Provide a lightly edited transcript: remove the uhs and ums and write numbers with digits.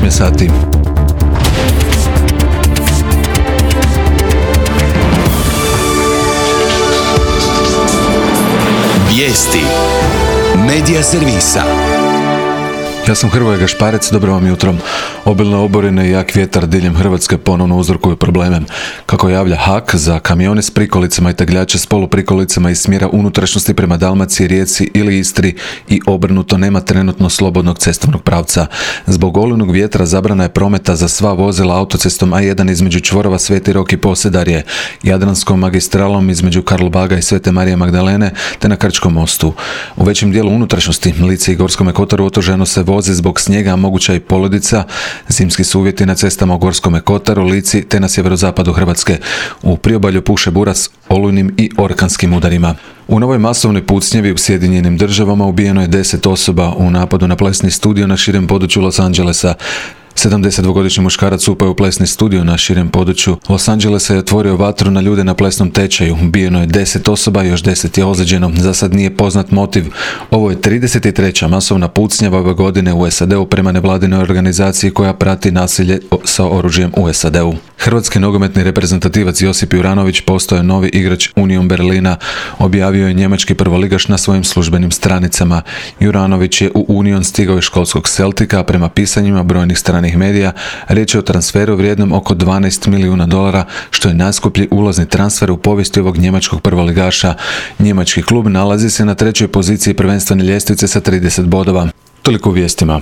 8 sati. Vijesti Medija servisa. Ja sam Hrvoje Gašparec, dobro vam jutro. Obilne oborine i jak vjetar diljem Hrvatske ponovno uzrokuju probleme. Kako javlja HAK, za kamione s prikolicama i tegljače s poluprikolicama iz smjera unutrašnjosti prema Dalmaciji, Rijeci ili Istri i obrnuto nema trenutno slobodnog cestovnog pravca. Zbog olujnog vjetra zabrana je prometa za sva vozila autocestom A1 između čvorova Sveti Rok i Posedarje, Jadranskom magistralom između Karlobaga i Svete Marije Magdalene te na Krčkom mostu. U većem dijelu unutrašnjosti, Lici i Gorskome kotaru otežano se vozi zbog snijega, a moguća i poledica. Zimski su uvjeti na cestama u Gorskome kotaru, Lici te na sjeverozapadu Hrvatske. U priobalju puše bura s olujnim i orkanskim udarima. U novoj masovnoj pucnjevi u Sjedinjenim Državama ubijeno je 10 osoba u napadu na plesni studio na širem području Los Angelesa. 72-godišnji muškarac upao u plesni studio na širem području Los Angelesa i otvorio vatru na ljude na plesnom tečaju. Ubijeno je 10 osoba, još 10 je ozlijeđeno. Za sad nije poznat motiv. Ovo je 33. masovna pucnjava ove godine u SAD-u prema nevladinoj organizaciji koja prati nasilje sa oružjem u SAD-u. Hrvatski nogometni reprezentativac Josip Juranović postao je novi igrač Union Berlina, objavio je njemački prvoligaš na svojim službenim stranicama. Juranović je u Union stigao iz školskog Celtica, a prema pisanjima brojnih stranih medija, riječ je o transferu vrijednom oko $12 milijuna, što je najskuplji ulazni transfer u povijesti ovog njemačkog prvoligaša. Njemački klub nalazi se na 3. poziciji prvenstvene ljestvice sa 30 bodova. Toliko u vijestima.